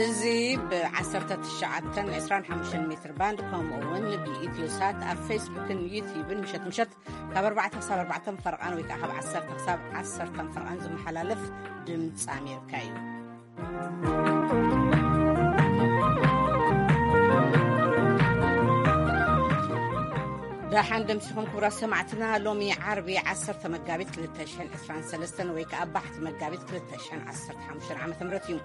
እዚ ብ19፣ 25 ሜትር ባንድ፣ ከምኡ እውን ብኢትዮ ሳት ኣብ ፌስቡክን ዩቲዩብን ምሸት ምሸት ካብ ኣርባዕተ ክሳብ ኣርባዕተ ፈርቓን ወይ ከዓ ካብ ዓሰርተ ክሳብ ዓሰርተ ፈርቓን ዝመሓላለፍ ድምፂ ኣሜሪካ እዩ። ደሓን ደምሲኹም ክቡራት ሰማዕትና። ሎሚ ዓርቢ ዓሰርተ መጋቢት ክልተ ሽሕን ዕስራን ሰለስተን ወይ ከዓ ባሕቲ መጋቢት ክልተ ሽሕን ዓሰርተ ሓሙሽተን ዓመተ ምህረት እዩ።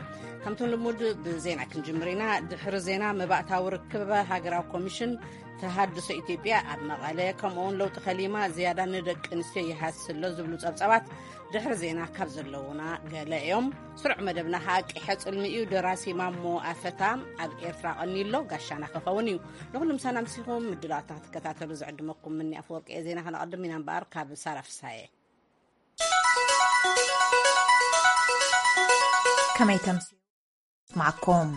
ከምቶም ልሙድ ብዜና ክንጅምር ኢና። ድሕሪ ዜና፣ መባእታዊ ርክብ ሃገራዊ ኮሚሽን ተሃድሶ ኢትዮጵያ ኣብ መቐለ፣ ከምኡውን ለውጢ ከሊማ ዝያዳ ንደቂ ኣንስትዮ ይሃስሎ ዝብሉ ጸብጻባት ድሕሪ ዜና ካብ ዘለዉና ገለ እዮም። ስሩዕ መደብና ከዓ ቂሐ ጽልሚ እዩ። ደራሲ ማሞ ኣፈታ ኣብ ኤርትራ ቀኒሎ ጋሻና ክኸውን እዩ። ንኹሉ ምሳና ምሲኹም ምድላዋትና ክትከታተሉ ዝዕድመኩም ምኒ ኣፈወርቂ እየ። ዜና ከነቐድም ኢና እምበኣር ካብ ሳራ ፍሳየ። ከመይ ተምሲ ማዕኮም።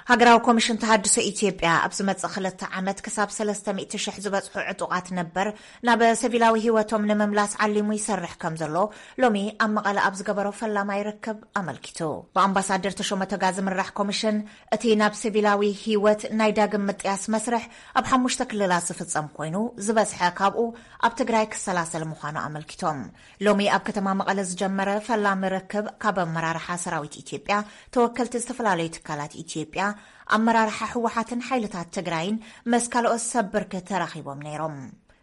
ሃገራዊ ኮሚሽን ተሃድሶ ኢትዮጵያ ኣብ ዝመጽእ ክልተ ዓመት ክሳብ ሰለስተ ሚእቲ ሽሕ ዝበጽሑ ዕጡቓት ነበር ናብ ሲቪላዊ ህይወቶም ንምምላስ ዓሊሙ ይሰርሕ ከም ዘሎ ሎሚ ኣብ መቐለ ኣብ ዝገበሮ ፈላማይ ርክብ ኣመልኪቱ። ብኣምባሳደር ተሾመ ቶጋ ዝምራሕ ኮሚሽን፣ እቲ ናብ ሲቪላዊ ህይወት ናይ ዳግም ምጥያስ መስርሕ ኣብ ሓሙሽተ ክልላት ዝፍጸም ኮይኑ፣ ዝበዝሐ ካብኡ ኣብ ትግራይ ክሰላሰል ምዃኑ ኣመልኪቶም። ሎሚ ኣብ ከተማ መቐለ ዝጀመረ ፈላሚ ርክብ ካብ ኣመራርሓ ሰራዊት ኢትዮጵያ፣ ተወከልቲ ዝተፈላለዩ ትካላት ኢትዮጵያ፣ ኣመራርሓ ህወሓትን ሓይልታት ትግራይን ምስ ካልኦት ሰብ ብርኪ ተራኺቦም ነይሮም።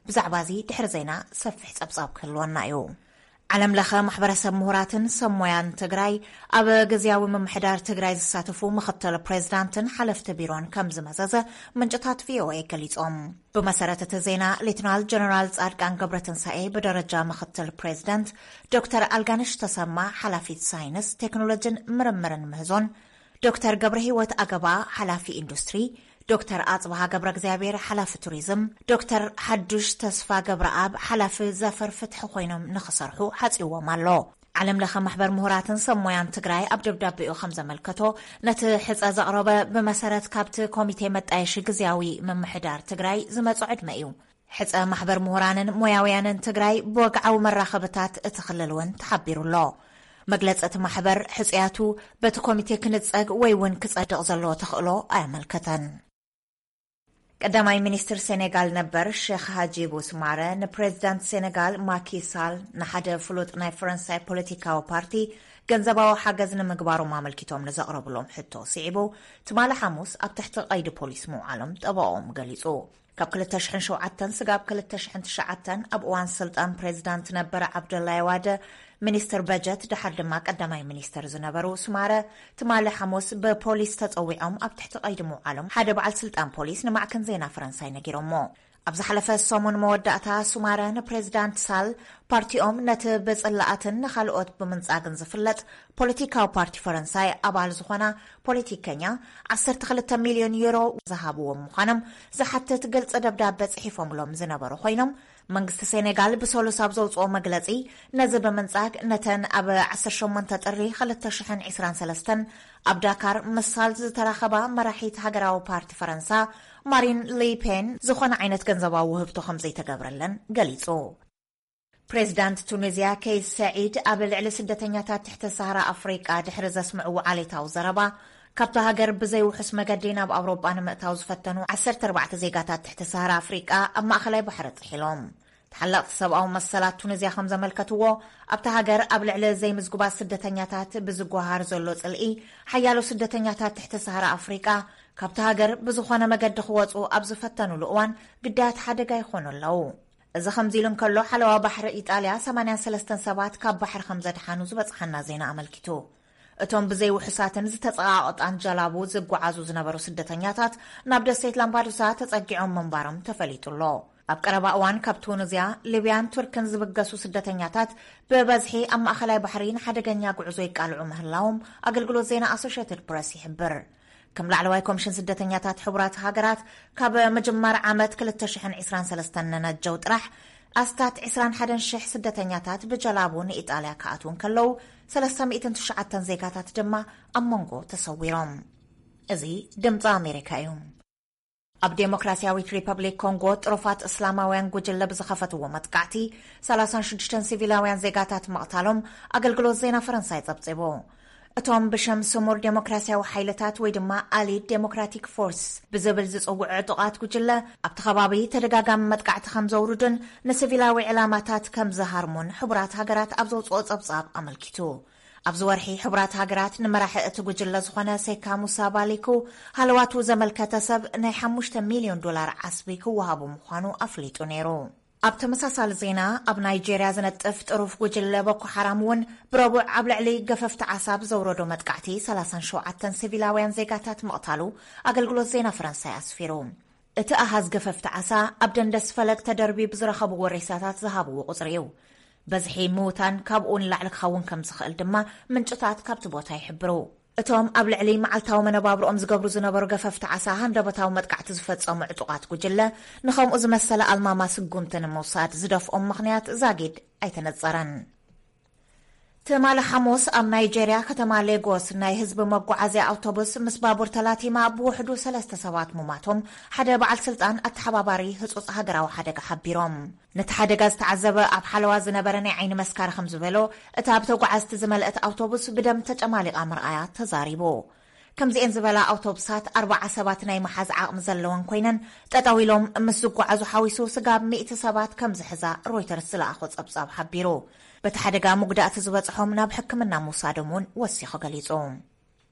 ብዛዕባ እዚ ድሕሪ ዜና ሰፊሕ ጸብጻብ ክህልወና እዩ። ዓለም ለኸ ማሕበረሰብ ምሁራትን ሰብ ሞያን ትግራይ ኣብ ግዝያዊ ምምሕዳር ትግራይ ዝሳተፉ ምኽትል ፕሬዝዳንትን ሓለፍቲ ቢሮን ከም ዝመዘዘ ምንጭታት ቪኦኤ ገሊጾም። ብመሰረት እቲ ዜና፣ ሌትናል ጀነራል ጻድቃን ገብረትንሳኤ ብደረጃ ምኽትል ፕሬዝዳንት፣ ዶክተር ኣልጋነሽ ተሰማ ሓላፊት ሳይንስ፣ ቴክኖሎጂን ምርምርን ምህዞን፣ ዶክተር ገብረ ህይወት ኣገባ ሓላፊ ኢንዱስትሪ፣ ዶክተር ኣጽብሃ ገብረ እግዚኣብሔር ሓላፊ ቱሪዝም፣ ዶክተር ሓዱሽ ተስፋ ገብረኣብ ሓላፊ ዘፈር ፍትሒ ኮይኖም ንኽሰርሑ ሓጺዎም ኣሎ። ዓለም ለኸ ማሕበር ምሁራትን ሰብ ሞያን ትግራይ ኣብ ደብዳቤኡ ከም ዘመልከቶ፣ ነቲ ሕጸ ዘቕረበ ብመሰረት ካብቲ ኮሚቴ መጣየሺ ግዝያዊ ምምሕዳር ትግራይ ዝመጾ ዕድመ እዩ። ሕጸ ማሕበር ምሁራንን ሞያውያንን ትግራይ ብወግዓዊ መራኸብታት እቲ ክልል እውን ተሓቢሩ ኣሎ። መግለጺ እቲ ማሕበር፣ ሕጹያቱ በቲ ኮሚቴ ክንጸግ ወይ እውን ክጸድቕ ዘለዎ ተኽእሎ ኣየመልከተን። ቀዳማይ ሚኒስትር ሴኔጋል ነበር ሼክ ሃጂቡ ስማረ ንፕሬዚዳንት ሴኔጋል ማኪ ሳል ንሓደ ፍሉጥ ናይ ፈረንሳይ ፖለቲካዊ ፓርቲ ገንዘባዊ ሓገዝ ንምግባሮም ኣመልኪቶም ንዘቕረብሎም ሕቶ ስዒቡ፣ ትማሊ ሓሙስ ኣብ ትሕቲ ቀይዲ ፖሊስ ምውዓሎም ጠበቆም ገሊጹ። ካብ ክልተ ሽሕን ሸውዓተን ስጋብ ክልተ ሽሕን ትሽዓተን ኣብ እዋን ስልጣን ፕሬዚዳንት ነበረ ዓብደላይ ዋደ ሚኒስትር በጀት፣ ድሓር ድማ ቀዳማይ ሚኒስትር ዝነበሩ ስማረ፣ ትማሊ ሓሙስ ብፖሊስ ተጸዊዖም ኣብ ትሕቲ ቀይዲ ምውዓሎም ሓደ በዓል ስልጣን ፖሊስ ንማዕከን ዜና ፈረንሳይ ነጊሮሞ። ኣብ ዝሓለፈ ሰሙን መወዳእታ፣ ሱማረ ንፕሬዚዳንት ሳል፣ ፓርቲኦም ነቲ ብጽላኣትን ንኻልኦት ብምንጻግን ዝፍለጥ ፖለቲካዊ ፓርቲ ፈረንሳይ ኣባል ዝኾና ፖለቲከኛ፣ ዓሰርተ ክልተ ሚልዮን ዩሮ ዝሃብዎም ምዃኖም ዝሓትት ግልጺ ደብዳበ ጽሒፎምሎም ዝነበሩ ኮይኖም፣ መንግስቲ ሴኔጋል ብሰሉስ ኣብ ዘውጽኦ መግለጺ፣ ነዚ ብምንጻግ፣ ነተን ኣብ ዓሰርተ ሸሞንተ ጥሪ ክልተ ሽሕን ዕስራን ሰለስተን ኣብ ዳካር ምሳል ዝተራኸባ መራሒት ሃገራዊ ፓርቲ ፈረንሳ ማሪን ሊ ፔን ዝኾነ ዓይነት ገንዘባዊ ውህብቶ ከም ዘይተገብረለን ገሊጹ። ፕሬዚዳንት ቱኒዝያ ከይስ ሰዒድ ኣብ ልዕሊ ስደተኛታት ትሕቲ ሰሃራ ኣፍሪቃ ድሕሪ ዘስምዕዎ ዓሌታዊ ዘረባ፣ ካብታ ሃገር ብዘይውሑስ መገዲ ናብ ኣውሮጳ ንምእታው ዝፈተኑ ዓሰርተ ኣርባዕተ ዜጋታት ትሕቲ ሰሃራ ኣፍሪቃ ኣብ ማእኸላይ ባሕሪ ጥሒሎም። ተሓለቕቲ ሰብኣዊ መሰላት ቱኒዝያ ከም ዘመልከትዎ፣ ኣብታ ሃገር ኣብ ልዕሊ ዘይምዝጉባት ስደተኛታት ብዝጓሃር ዘሎ ጽልኢ፣ ሓያሎ ስደተኛታት ትሕቲ ሰሃራ ኣፍሪቃ ካብታ ሃገር ብዝኾነ መገዲ ክወጹ ኣብ ዝፈተኑሉ እዋን ግዳያት ሓደጋ ይኾኑ ኣለዉ። እዚ ከምዚ ኢሉ እንከሎ፣ ሓለዋ ባሕሪ ኢጣልያ ሰማንያን ሰለስተን ሰባት ካብ ባሕሪ ከም ዘድሓኑ ዝበጽሓና ዜና ኣመልኪቱ። እቶም ብዘይውሑሳትን ዝተጸቓቐጣን ጀላቡ ዝጓዓዙ ዝነበሩ ስደተኛታት ናብ ደሴት ላምፓዱሳ ተጸጊዖም ምንባሮም ተፈሊጡ ኣሎ። ኣብ ቀረባ እዋን ካብ ቱኒዝያ፣ ሊብያን ቱርክን ዝብገሱ ስደተኛታት ብበዝሒ ኣብ ማእኸላይ ባሕሪ ንሓደገኛ ጉዕዞ ይቃልዑ ምህላዎም ኣገልግሎት ዜና ኣሶሽየትድ ፕረስ ይሕብር። ከም ላዕለዋይ ኮሚሽን ስደተኛታት ሕቡራት ሃገራት፣ ካብ ምጅማር ዓመት ክልተ ሽሕን ዕስራን ሰለስተን ንነጀው ጥራሕ፣ ኣስታት ዕስራን ሓደን ሽሕ ስደተኛታት ብጀላቡ ንኢጣልያ ክኣትዉ እንከለዉ፣ ሰለስተ ሚእትን ትሽዓተን ዜጋታት ድማ ኣብ መንጎ ተሰዊሮም። እዚ ድምፂ ኣሜሪካ እዩ። ኣብ ዴሞክራሲያዊት ሪፐብሊክ ኮንጎ ጥሩፋት እስላማውያን ጉጅለ ብዝኸፈትዎ መጥቃዕቲ ሰላሳን ሽዱሽተን ሲቪላውያን ዜጋታት ምቕታሎም ኣገልግሎት ዜና ፈረንሳይ ጸብጺቡ። እቶም ብሽም ስሙር ዴሞክራሲያዊ ሓይልታት ወይ ድማ ኣሊድ ዴሞክራቲክ ፎርስ ብዝብል ዝጽውዑ ዕጡቓት ጉጅለ ኣብቲ ከባቢ ተደጋጋሚ መጥቃዕቲ ከም ዘውርዱን ንሲቪላዊ ዕላማታት ከም ዝሃርሙን ሕቡራት ሃገራት ኣብ ዘውጽኦ ጸብጻብ ኣመልኪቱ። ኣብዚ ወርሒ ሕቡራት ሃገራት ንመራሒ እቲ ጉጅለ ዝኾነ ሴካ ሙሳ ባሊኩ ሃለዋቱ ዘመልከተ ሰብ ናይ ሓሙሽተ ሚልዮን ዶላር ዓስቢ ክወሃቡ ምዃኑ ኣፍሊጡ ነይሩ። ኣብ ተመሳሳሊ ዜና፣ ኣብ ናይጄርያ ዝነጥፍ ጥሩፍ ጉጅለ ቦኮ ሓራም እውን ብረቡዕ ኣብ ልዕሊ ገፈፍቲ ዓሳ ብዘውረዶ መጥቃዕቲ ሰላሳን ሸውዓተን ሲቪላውያን ዜጋታት ምቕታሉ ኣገልግሎት ዜና ፈረንሳይ ኣስፊሩ። እቲ ኣሃዝ ገፈፍቲ ዓሳ ኣብ ደንደስ ፈለግ ተደርብዩ ብዝረኸብዎ ሬሳታት ዝሃብዎ ቁጽሪ እዩ። በዝሒ ምውታን ካብኡ ንላዕሊ ክኸውን ከም ዝኽእል ድማ ምንጭታት ካብቲ ቦታ ይሕብሩ። እቶም ኣብ ልዕሊ መዓልታዊ መነባብሮኦም ዝገብሩ ዝነበሩ ገፈፍቲ ዓሳ ሃንደበታዊ መጥቃዕቲ ዝፈጸሙ ዕጡቓት ጉጅለ ንኸምኡ ዝመሰለ ኣልማማ ስጉምቲ ንምውሳድ ዝደፍኦም ምኽንያት ዛጊድ ኣይተነጸረን። ትማሊ ሓሙስ ኣብ ናይጄርያ ከተማ ሌጎስ ናይ ህዝቢ መጓዓዝያ ኣውቶቡስ ምስ ባቡር ተላቲማ ብውሕዱ ሰለስተ ሰባት ሙማቶም ሓደ በዓል ስልጣን ኣተሓባባሪ ህጹጽ ሃገራዊ ሓደጋ ሓቢሮም። ነቲ ሓደጋ ዝተዓዘበ ኣብ ሓለዋ ዝነበረ ናይ ዓይኒ መስካሪ ከም ዝበሎ፣ እታ ብተጓዓዝቲ ዝመልአት ኣውቶቡስ ብደም ተጨማሊቓ ምርኣያ ተዛሪቡ። ከምዚኤን ዝበላ ኣውቶቡሳት ኣርባዓ ሰባት ናይ መሓዝ ዓቕሚ ዘለወን ኮይነን፣ ጠጠው ኢሎም ምስ ዝጓዓዙ ሓዊሱ ስጋብ ሚእቲ ሰባት ከም ዝሕዛ ሮይተርስ ዝለኣኾ ጸብጻብ ሓቢሩ። በቲ ሓደጋ መጉዳእቲ ዝበጽሖም ናብ ሕክምና ምውሳዶም እውን ወሲኹ ገሊጹ።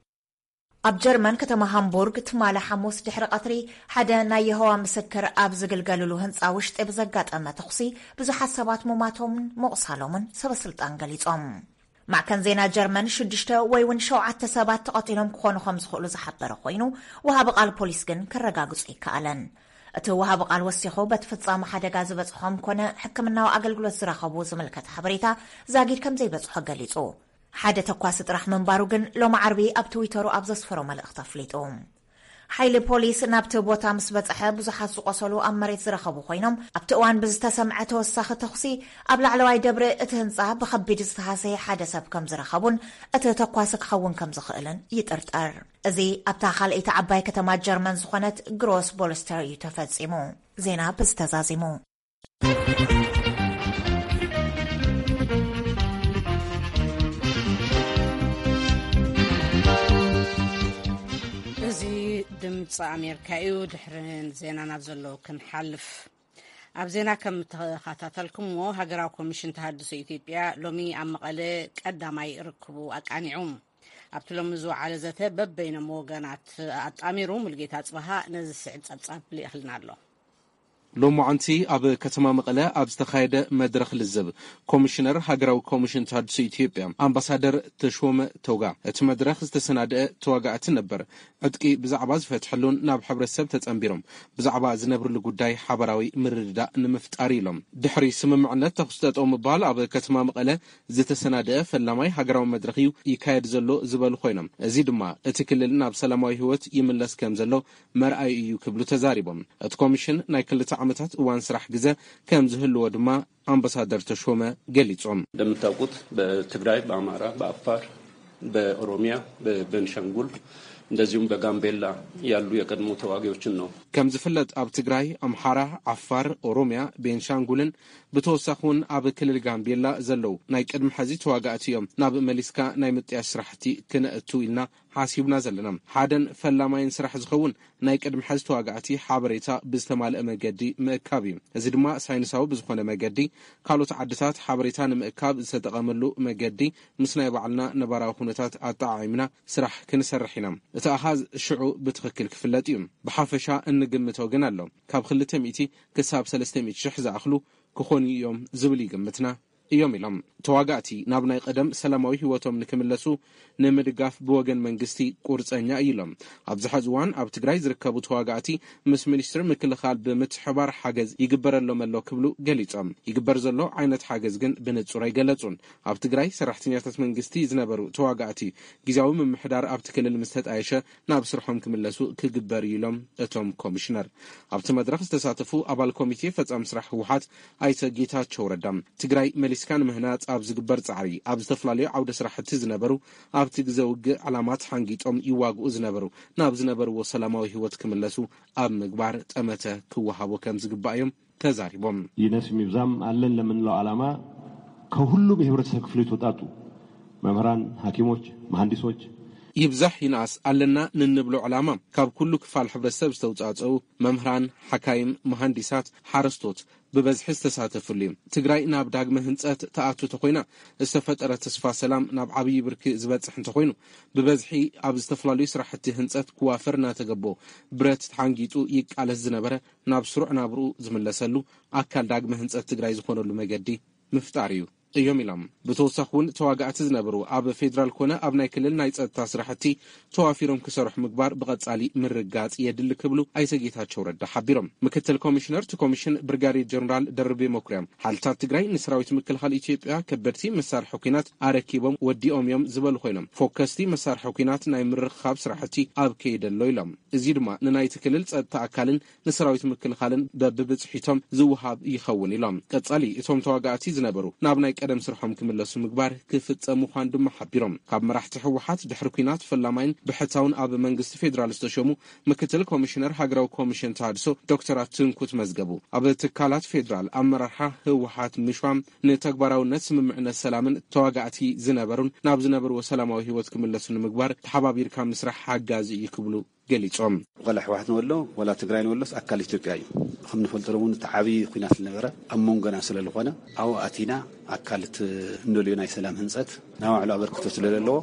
ኣብ ጀርመን ከተማ ሃምቡርግ ትማሊ ሓሙስ ድሕሪ ቀትሪ ሓደ ናይ የሆዋ ምስክር ኣብ ዝግልገልሉ ህንጻ ውሽጢ ብዘጋጠመ ተኹሲ ብዙሓት ሰባት ሙማቶምን ምቑሳሎምን ሰበ ስልጣን ገሊጾም። ማዕከን ዜና ጀርመን ሽዱሽተ ወይ እውን ሸውዓተ ሰባት ተቐቲሎም ክኾኑ ከም ዝኽእሉ ዝሓበረ ኮይኑ፣ ወሃቢ ቃል ፖሊስ ግን ከረጋግጾ ኣይከኣለን። እቲ ወሃቢ ቃል ወሲኹ በቲ ፍጻመ ሓደጋ ዝበጽሖም ኮነ ሕክምናዊ ኣገልግሎት ዝረኸቡ ዝምልከት ሓበሬታ ዛጊድ ከም ዘይበጽሖ ገሊጹ። ሓደ ተኳሲ ጥራሕ ምንባሩ ግን ሎሚ ዓርቢ ኣብ ትዊተሩ ኣብ ዘስፈሮ መልእኽቲ ኣፍሊጡ። ሓይሊ ፖሊስ ናብቲ ቦታ ምስ በጽሐ ብዙሓት ዝቆሰሉ ኣብ መሬት ዝረኸቡ ኮይኖም ኣብቲ እዋን ብዝተሰምዐ ተወሳኺ ተኹሲ ኣብ ላዕለዋይ ደብሪ እቲ ህንጻ ብኸቢድ ዝተሃሰየ ሓደ ሰብ ከም ዝረኸቡን እቲ ተኳሲ ክኸውን ከም ዝኽእልን ይጥርጠር። እዚ ኣብታ ካልኣይቲ ዓባይ ከተማ ጀርመን ዝኾነት ግሮስ ቦልስተር እዩ ተፈጺሙ። ዜና ብዝተዛዚሙ። እዚ ድምፂ ኣሜሪካ እዩ። ድሕሪ ዜና ናብ ዘሎ ክንሓልፍ፣ ኣብ ዜና ከም ተኸታተልኩምዎ፣ ሃገራዊ ኮሚሽን ተሃድሶ ኢትዮጵያ ሎሚ ኣብ መቐለ ቀዳማይ ርክቡ ኣቃኒዑ። ኣብቲ ሎሚ ዝወዓለ ዘተ በበይኖም ወገናት ኣጣሚሩ ሙልጌታ ጽበሃ ነዚ ስዕብ ጸብጻብ ልኢኽልና ኣሎ። ሎማዓንቲ ኣብ ከተማ መቐለ ኣብ ዝተኻየደ መድረኽ ልዝብ፣ ኮሚሽነር ሃገራዊ ኮሚሽን ተሃድሶ ኢትዮጵያ ኣምባሳደር ተሾመ ቶጋ፣ እቲ መድረኽ ዝተሰናደአ ተዋጋእቲ ነበር ዕጥቂ ብዛዕባ ዝፈትሐሉን ናብ ሕብረተሰብ ተጸንቢሮም ብዛዕባ ዝነብርሉ ጉዳይ ሓባራዊ ምርድዳእ ንምፍጣር ኢሎም። ድሕሪ ስምምዕነት ተኹሲ ጠጠው ምባል ኣብ ከተማ መቐለ ዝተሰናደአ ፈላማይ ሃገራዊ መድረኽ እዩ ይካየድ ዘሎ ዝበሉ ኮይኖም፣ እዚ ድማ እቲ ክልል ናብ ሰላማዊ ህይወት ይምለስ ከም ዘሎ መርኣዩ እዩ ክብሉ ተዛሪቦም። እቲ ኮሚሽን ናይ ክልተ ዓመታት እዋን ስራሕ ግዘ ከም ዝህልዎ ድማ ኣምባሳደር ተሾመ ገሊጾም። እንደምታውቁት በትግራይ፣ በአማራ፣ በአፋር፣ በኦሮሚያ፣ በቤንሻንጉል እንደዚሁም በጋምቤላ ያሉ የቀድሞ ተዋጊዎችን ነው። ከም ዝፍለጥ ኣብ ትግራይ፣ ኣምሓራ፣ ዓፋር፣ ኦሮሚያ፣ ቤንሻንጉልን ብተወሳኺ እውን ኣብ ክልል ጋምቤላ ዘለዉ ናይ ቅድሚ ሕዚ ተዋጋእቲ እዮም ናብ መሊስካ ናይ ምጥያሽ ስራሕቲ ክነእቱ ኢልና ሓሲብና ዘለና። ሓደን ፈላማይን ስራሕ ዝኸውን ናይ ቅድሚ ሕዚ ተዋጋእቲ ሓበሬታ ብዝተማልአ መገዲ ምእካብ እዩ። እዚ ድማ ሳይንሳዊ ብዝኾነ መገዲ ካልኦት ዓድታት ሓበሬታ ንምእካብ ዝተጠቐመሉ መገዲ ምስ ናይ ባዕልና ነባራዊ ኩነታት ኣጠዓዒምና ስራሕ ክንሰርሕ ኢና። እቲ ኣሃዝ ሽዑ ብትኽክል ክፍለጥ እዩ። ብሓፈሻ እንግምቶ ግን ኣሎ። ካብ ክልተ ሚእቲ ክሳብ ሰለስተ ሚእቲ ሽሕ ዝኣኽሉ ክኾኑ እዮም ዝብል ይግምትና እዮም ኢሎም። ተዋጋእቲ ናብ ናይ ቀደም ሰላማዊ ህይወቶም ንክምለሱ ንምድጋፍ ብወገን መንግስቲ ቁርፀኛ እዩ ኢሎም። ኣብዚ ሐዚ እዋን ኣብ ትግራይ ዝርከቡ ተዋጋእቲ ምስ ሚኒስትሪ ምክልኻል ብምትሕባር ሓገዝ ይግበረሎም ኣሎ ክብሉ ገሊፆም። ይግበር ዘሎ ዓይነት ሓገዝ ግን ብንፁር ኣይገለፁን። ኣብ ትግራይ ሰራሕተኛታት መንግስቲ ዝነበሩ ተዋጋእቲ ግዝያዊ ምምሕዳር ኣብቲ ክልል ምስ ተጣየሸ ናብ ስርሖም ክምለሱ ክግበር እዩ ኢሎም እቶም ኮሚሽነር። ኣብቲ መድረኽ ዝተሳተፉ ኣባል ኮሚቴ ፈጻሚ ስራሕ ህወሓት ኣይተ ጌታቸው ረዳ፣ ትግራይ መሊሳ ፖለቲካ ንምህናጽ ኣብ ዝግበር ጻዕሪ፣ ኣብ ዝተፈላለዩ ዓውደ ስራሕቲ ዝነበሩ፣ ኣብቲ ግዘ ውግእ ዕላማ ተሓንጊጦም ይዋግኡ ዝነበሩ፣ ናብ ዝነበርዎ ሰላማዊ ህይወት ክምለሱ ኣብ ምግባር ጠመተ ክወሃቦ ከም ዝግባእ እዮም ተዛሪቦም። ይነስ ይብዛም አለን ለምንለው ዓላማ ከሁሉም የህብረተሰብ ክፍል የተውጣጡ መምህራን፣ ሐኪሞች፣ መሐንዲሶች፣ ይብዛሕ ይንኣስ ኣለና ንንብሎ ዕላማ ካብ ኩሉ ክፋል ሕብረተሰብ ዝተውጻጸኡ መምህራን፣ ሓካይም፣ መሃንዲሳት፣ ሓረስቶት ብበዝሒ ዝተሳተፍሉ እዩ። ትግራይ ናብ ዳግመ ህንጸት ትኣቱ ተኾይና ዝተፈጠረ ተስፋ ሰላም ናብ ዓብዪ ብርኪ ዝበጽሕ እንተኾይኑ፣ ብበዝሒ ኣብ ዝተፈላለዩ ስራሕቲ ህንጸት ክዋፈር እናተገቦ ብረት ተሓንጊጡ ይቃለስ ዝነበረ ናብ ስሩዕ ናብርኡ ዝምለሰሉ ኣካል ዳግመ ህንጸት ትግራይ ዝኾነሉ መገዲ ምፍጣር እዩ እዮም ኢሎም። ብተወሳኺ እውን ተዋጋእቲ ዝነበሩ ኣብ ፌዴራል ኮነ ኣብ ናይ ክልል ናይ ጸጥታ ስራሕቲ ተዋፊሮም ክሰርሑ ምግባር ብቐጻሊ ምርጋጽ የድሊ ክብሉ ኣይተ ጌታቸው ረዳ ሓቢሮም። ምክትል ኮሚሽነር እቲ ኮሚሽን ብርጋዴር ጀነራል ደርቤ መኩሪያ ሓይልታት ትግራይ ንሰራዊት ምክልኻል ኢትዮጵያ ከበድቲ መሳርሒ ኲናት ኣረኪቦም ወዲኦም እዮም ዝበሉ ኮይኖም፣ ፎከስቲ መሳርሒ ኲናት ናይ ምርኽኻብ ስራሕቲ ኣብ ከይዲ ኣሎ ኢሎም። እዚ ድማ ንናይቲ ክልል ጸጥታ ኣካልን ንሰራዊት ምክልኻልን በብብጽሒቶም ዝወሃብ ይኸውን ኢሎም። ቀጻሊ እቶም ተዋጋእቲ ዝነበሩ ናብ ናይ ቀደም ስርሖም ክምለሱ ምግባር ክፍጸም ምዃኑ ድማ ሓቢሮም። ካብ መራሕቲ ህወሓት ድሕሪ ኲናት ፈላማይን ብሕታውን ኣብ መንግስቲ ፌዴራል ዝተሸሙ ምክትል ኮሚሽነር ሃገራዊ ኮሚሽን ተሃድሶ ዶክተር ኣትንኩት መዝገቡ፣ ኣብ ትካላት ፌዴራል ኣመራርሓ ህወሓት ምሽዋም ንተግባራውነት ስምምዕነት ሰላምን ተዋጋእቲ ዝነበሩን ናብ ዝነበርዎ ሰላማዊ ህይወት ክምለሱ ንምግባር ተሓባቢርካ ምስራሕ ሓጋዚ እዩ ክብሉ ገሊጾም። ዋላ ህወሓት ንበሎ ዋላ ትግራይ ንበሎስ ኣካል ኢትዮጵያ እዩ። ከም ንፈልጦ እውን እቲ ዓብዪ ኲናት ዝነበረ ኣብ መንጎና ስለ ዝኾነ ኣብኡ ኣቲና ኣካል እቲ እንደልዮ ናይ ሰላም ህንፀት ናይ ባዕሉ ኣበርክቶ ስለ ዘለዎ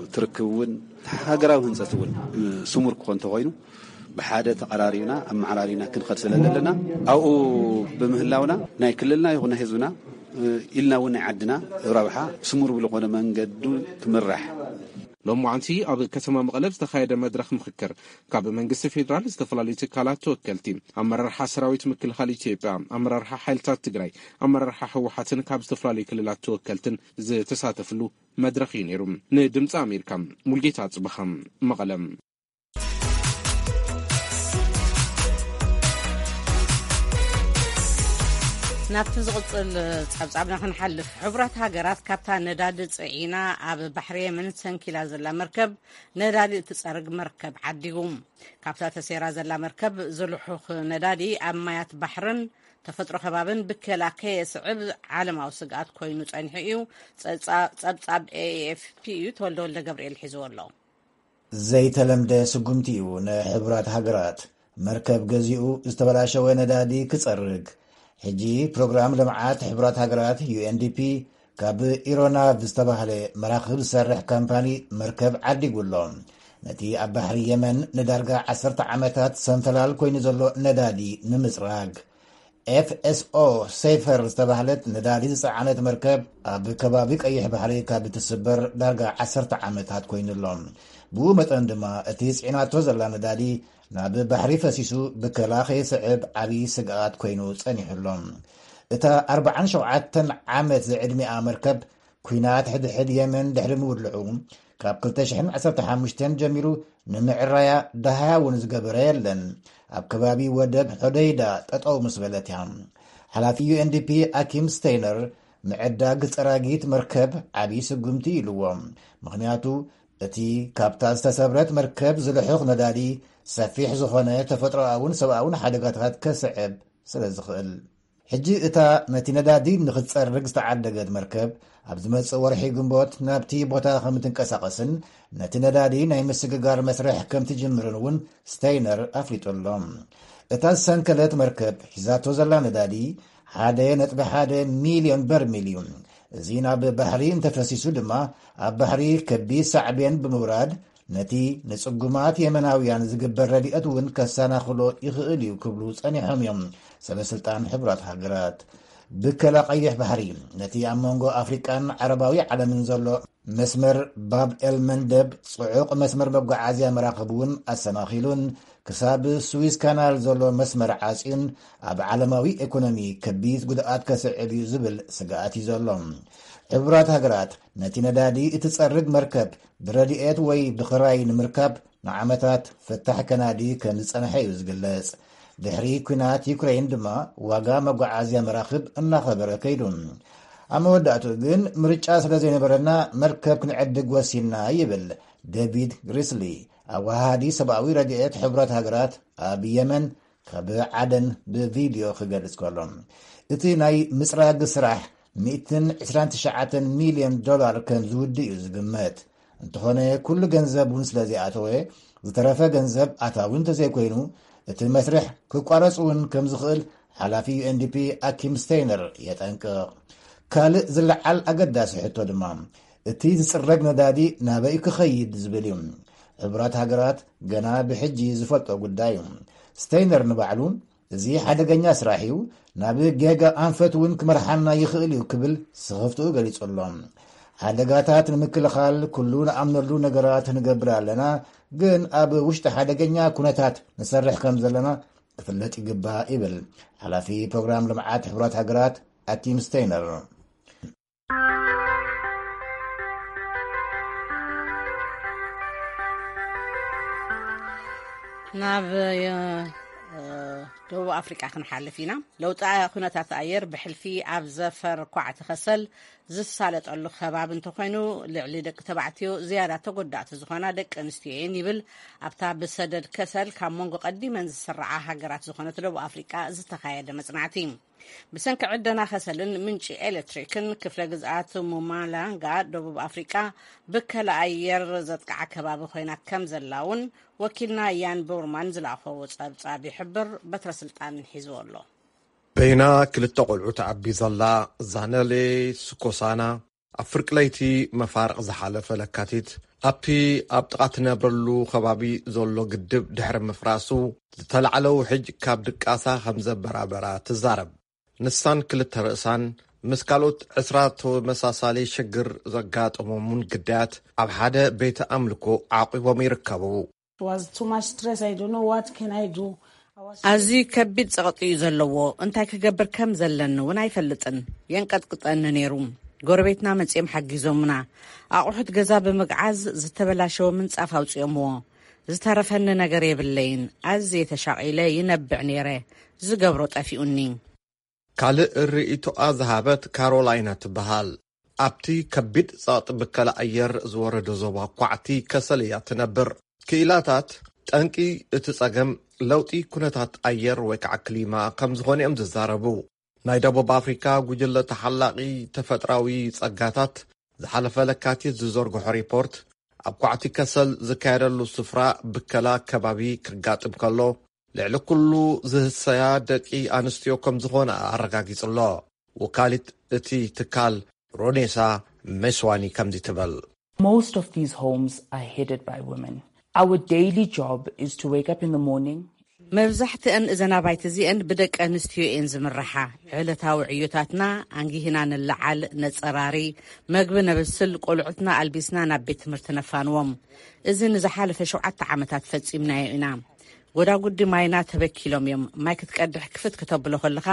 እቲ ርክብ እውን ሃገራዊ ህንፀት እውን ስሙር ክኾን እንተኾይኑ ብሓደ ተቐራሪብና ኣመዓራሪና ክንኸድ ስለ ዘለና ኣብኡ ብምህላውና ናይ ክልልና ይኹን ናይ ህዝብና ኢልና እውን ናይ ዓድና ረብሓ ስሙር ብዝኾነ መንገዱ ክምራሕ ሎሚ መዓንቲ ኣብ ከተማ መቐለ ዝተኻየደ መድረኽ ምኽክር ካብ መንግስቲ ፌዴራል ዝተፈላለዩ ትካላት ተወከልቲ ኣመራርሓ ሰራዊት ምክልኻል ኢትዮጵያ ኣመራርሓ ሓይልታት ትግራይ ኣመራርሓ ህወሓትን ካብ ዝተፈላለዩ ክልላት ተወከልትን ዝተሳተፍሉ መድረኽ እዩ ነይሩ። ንድምፂ ኣሜሪካ ሙልጌታ ጽብኻ መቐለ። ናብቲ ዝቕጽል ጸብጻብና ክንሓልፍ፣ ሕቡራት ሃገራት ካብታ ነዳዲ ጽዒና ኣብ ባሕሪ የመን ሰንኪላ ዘላ መርከብ ነዳዲ እትጸርግ መርከብ ዓዲጉ። ካብታ ተሰይራ ዘላ መርከብ ዝልሑኽ ነዳዲ ኣብ ማያት ባሕርን ተፈጥሮ ከባብን ብከላ ከየስዕብ ዓለማዊ ስግኣት ኮይኑ ጸኒሑ እዩ። ጸብጻብ ኤኤፍፒ እዩ። ተወልደ ወልደ ገብርኤል ሒዝዎ ኣሎ። ዘይተለምደ ስጉምቲ እዩ ንሕቡራት ሃገራት። መርከብ ገዚኡ ዝተበላሸወ ነዳዲ ክጸርግ። ሕጂ ፕሮግራም ልምዓት ሕቡራት ሃገራት ዩ ኤን ዲ ፒ ካብ ኢሮናቭ ዝተባህለ መራኽብ ዝሰርሕ ካምፓኒ መርከብ ዓዲጉ ኣሎ። ነቲ ኣብ ባሕሪ የመን ንዳርጋ ዓሰርተ ዓመታት ሰንፈላል ኮይኑ ዘሎ ነዳዲ ንምጽራግ። ኤፍ ኤስ ኦ ሴፈር ዝተባህለት ነዳዲ ዝጸዓነት መርከብ ኣብ ከባቢ ቀይሕ ባሕሪ ካብ እትስበር ዳርጋ ዓሰርተ ዓመታት ኮይኑ ኣሎ። ብኡ መጠን ድማ እቲ ጽዒናቶ ዘላ ነዳዲ ናብ ባሕሪ ፈሲሱ ብከላ ከይስዕብ ዓብዪ ስግኣት ኮይኑ ጸኒሑ ኣሎ። እታ ኣርብዓን ሸውዓተን ዓመት ዝዕድሚኣ መርከብ ኲናት ሕድሕድ የመን ድሕሪ ምውልዑ ካብ ክልተ ሽሕን ዓሰርተ ሓሙሽተን ጀሚሩ ንምዕራያ ደሃያ እውን ዝገበረ የለን። ኣብ ከባቢ ወደብ ሖደይዳ ጠጠው ምስ በለት እያ። ሓላፊ ዩ ኤን ዲ ፒ ኣኪም ስቴይነር ምዕዳግ ጸራጊት መርከብ ዓብዪ ስጉምቲ ኢልዎ። ምኽንያቱ እቲ ካብታ ዝተሰብረት መርከብ ዝልሑኽ ነዳዲ ሰፊሕ ዝኾነ ተፈጥሮኣውን ሰብኣውን ሓደጋታት ከስዕብ ስለ ዝኽእል። ሕጂ እታ ነቲ ነዳዲ ንኽትጸርግ ዝተዓደገት መርከብ ኣብ ዝመጽእ ወርሒ ግንቦት ናብቲ ቦታ ከም ትንቀሳቐስን ነቲ ነዳዲ ናይ ምስግጋር መስርሕ ከም ትጅምርን እውን ስቴይነር ኣፍሊጡ ኣሎ። እታ ዝሰንከለት መርከብ ሒዛቶ ዘላ ነዳዲ ሓደ ነጥቢ ሓደ ሚልዮን በርሚል እዩ። እዚ ናብ ባሕሪ እንተፈሲሱ ድማ ኣብ ባሕሪ ከቢድ ሳዕቤን ብምውራድ ነቲ ንጽጉማት የመናውያን ዝግበር ረድኤት እውን ከሰናኽሎ ይኽእል እዩ ክብሉ ጸኒሖም እዮም ሰበስልጣን ሕቡራት ሃገራት። ብከላ ቀይሕ ባሕሪ ነቲ ኣብ መንጎ ኣፍሪቃን ዓረባዊ ዓለምን ዘሎ መስመር ባብ ኤል መንደብ ጽዑቕ መስመር መጓዓዝያ መራኽብ እውን ኣሰናኺሉን ክሳብ ስዊዝ ካናል ዘሎ መስመር ዓጽዩን ኣብ ዓለማዊ ኤኮኖሚ ከቢድ ጉድኣት ከስዕብ እዩ ዝብል ስግኣት እዩ ዘሎ። ሕቡራት ሃገራት ነቲ ነዳዲ እትጸርግ መርከብ ብረድኤት ወይ ብኽራይ ንምርካብ ንዓመታት ፍታሕ ከናዲ ከም ዝጸንሐ እዩ ዝግለጽ። ድሕሪ ኲናት ዩክረይን ድማ ዋጋ መጓዓዝያ መራኽብ እናኸበረ ከይዱ። ኣብ መወዳእቱ ግን ምርጫ ስለ ዘይነበረና መርከብ ክንዕድግ ወሲንና ይብል ዴቪድ ግሪስሊ፣ ኣወሃሃዲ ሰብኣዊ ረድኤት ሕቡራት ሃገራት ኣብ የመን ካብ ዓደን ብቪድዮ ክገልጽ ከሎ። እቲ ናይ ምጽራግ ስራሕ ሚእትን ዕስራን ትሽዓተን ሚልዮን ዶላር ከም ዝውድእ እዩ ዝግመት። እንተኾነ ኩሉ ገንዘብ እውን ስለ ዘይኣተወ ዝተረፈ ገንዘብ ኣታዊ እንተዘይኮይኑ እቲ መስርሕ ክቋረጽ እውን ከም ዝኽእል ሓላፊ ዩ ኤን ዲ ፒ ኣኪም ስቴይነር የጠንቅቕ። ካልእ ዝለዓል ኣገዳሲ ሕቶ ድማ እቲ ዝጽረግ ነዳዲ ናበይ ክኸይድ ዝብል እዩ። ሕቡራት ሃገራት ገና ብሕጂ ዝፈልጦ ጉዳይ እዩ። ስቴይነር ንባዕሉ እዚ ሓደገኛ ስራሕ እዩ፣ ናብ ጌጋ ኣንፈት እውን ክመርሓና ይኽእል እዩ ክብል ስኽፍትኡ ገሊጹ ኣሎ። ሓደጋታት ንምክልኻል ኩሉ ንኣምነሉ ነገራት ንገብር ኣለና፣ ግን ኣብ ውሽጢ ሓደገኛ ኩነታት ንሰርሕ ከም ዘለና ክፍለጥ ይግባእ ይብል ሓላፊ ፕሮግራም ልምዓት ሕቡራት ሃገራት ኣኪም ስቴይነር። ናብ ደቡብ ኣፍሪቃ ክንሓልፍ ኢና። ለውጢ ኩነታት ኣየር ብሕልፊ ኣብ ዘፈር ኳዕቲ ከሰል ዝሳለጠሉ ከባቢ እንተኮይኑ፣ ልዕሊ ደቂ ተባዕትዮ ዝያዳ ተጎዳእቲ ዝኾና ደቂ ኣንስትዮ እየን ይብል ኣብታ ብሰደድ ከሰል ካብ መንጎ ቀዲመን ዝስርዓ ሃገራት ዝኾነት ደቡብ ኣፍሪቃ ዝተኻየደ መጽናዕቲ። ብሰንኪ ዕደና ከሰልን ምንጪ ኤሌክትሪክን ክፍለ ግዝኣት ሙማላንጋ ደቡብ ኣፍሪቃ ብከላ ኣየር ዘጥቃዓ ከባቢ ኮይና ከም ዘላ እውን ወኪልና ያን ቦርማን ዝለኣኸዎ ጸብጻብ ይሕብር። በትረ ስልጣን ሒዝዎ ኣሎ። በይና ክልተ ቆልዑ ተዓቢ ዘላ ዛነሌ ስኮሳና ኣብ ፍርቂ ለይቲ መፋርቕ ዝሓለፈ ለካቲት ኣብቲ ኣብ ጥቓ ትነብረሉ ከባቢ ዘሎ ግድብ ድሕሪ ምፍራሱ ዝተላዕለ ውሕጅ ካብ ድቃሳ ከም ዘበራበራ ትዛረብ። ንሳን ክልተ ርእሳን ምስ ካልኦት ዕስራ ተመሳሳሊ ሽግር ዘጋጠሞምን ግዳያት ኣብ ሓደ ቤተ ኣምልኮ ዓቂቦም ይርከቡ። ኣዝዩ ከቢድ ጸቕጢ እዩ ዘለዎ። እንታይ ክገብር ከም ዘለኒ እውን ኣይፈልጥን። የንቀጥቅጠኒ ነይሩ። ጎረቤትና መጺኦም ሓጊዞምና። ኣቑሑት ገዛ ብምግዓዝ ዝተበላሸወ ምንጻፍ ኣውጺኦምዎ። ዝተረፈኒ ነገር የብለይን። ኣዝየ ተሻቒለ ይነብዕ ነይረ። ዝገብሮ ጠፊኡኒ። ካልእ ርእይቶኣ ዝሃበት ካሮላይና ትበሃል። ኣብቲ ከቢድ ጸቕጢ ብከላ ኣየር ዝወረዶ ዞባ ኳዕቲ ከሰል እያ ትነብር። ክኢላታት ጠንቂ እቲ ጸገም ለውጢ ኩነታት ኣየር ወይ ከዓ ክሊማ ከም ዝኾነ እዮም ዝዛረቡ። ናይ ደቡብ ኣፍሪካ ጉጅለ ተሓላቒ ተፈጥራዊ ጸጋታት ዝሓለፈ ለካቲት ዝዘርግሖ ሪፖርት ኣብ ኳዕቲ ከሰል ዝካየደሉ ስፍራ ብከላ ከባቢ ክጋጥም ከሎ ልዕሊ ኩሉ ዝህሰያ ደቂ ኣንስትዮ ከም ዝኾነ ኣረጋጊጹ ኣሎ። ወካሊት እቲ ትካል ሮኔሳ ሜስዋኒ ከምዚ ትብል። Most of these homes are headed by women. Our daily job is to wake up in the morning. መብዛሕትአን እዘን ኣባይቲ እዚአን ብደቂ ኣንስትዮ እየን ዝምርሓ። ዕለታዊ ዕዮታትና ኣንጊህና ንለዓል፣ ነጸራሪ፣ መግቢ ነብስል፣ ቆልዑትና ኣልቢስና ናብ ቤት ትምህርቲ ነፋንዎም። እዚ ንዝሓለፈ ሸውዓተ ዓመታት ፈጺምናዮ ኢና። ጎዳጉዲ ማይና ተበኪሎም እዮም። ማይ ክትቀድሕ ክፍት ክተብሎ ከለኻ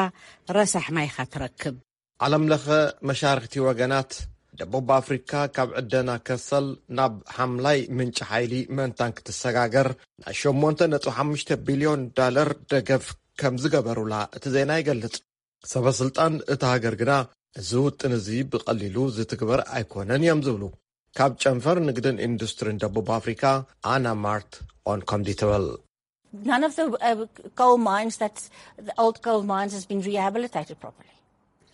ረሳሕ ማይ ኢኻ ትረክብ። ዓለም ለኸ መሻርክቲ ወገናት ደቡብ ኣፍሪካ ካብ ዕደና ከሰል ናብ ሓምላይ ምንጪ ሓይሊ ምእንታን ክትሰጋገር ናይ ሸሞንተ ነጥቢ ሓሙሽተ ቢልዮን ዳለር ደገፍ ከም ዝገበሩላ እቲ ዜና ይገልጽ። ሰበ ስልጣን እታ ሃገር ግና እዚ ውጥን እዚ ብቐሊሉ ዝትግበር ኣይኮነን እዮም ዝብሉ። ካብ ጨንፈር ንግድን ኢንዱስትሪን ደቡብ ኣፍሪካ ኣና ማርት ኦን ከምዚ ትብል። None of the uh, coal mines that the old coal mines has been rehabilitated properly.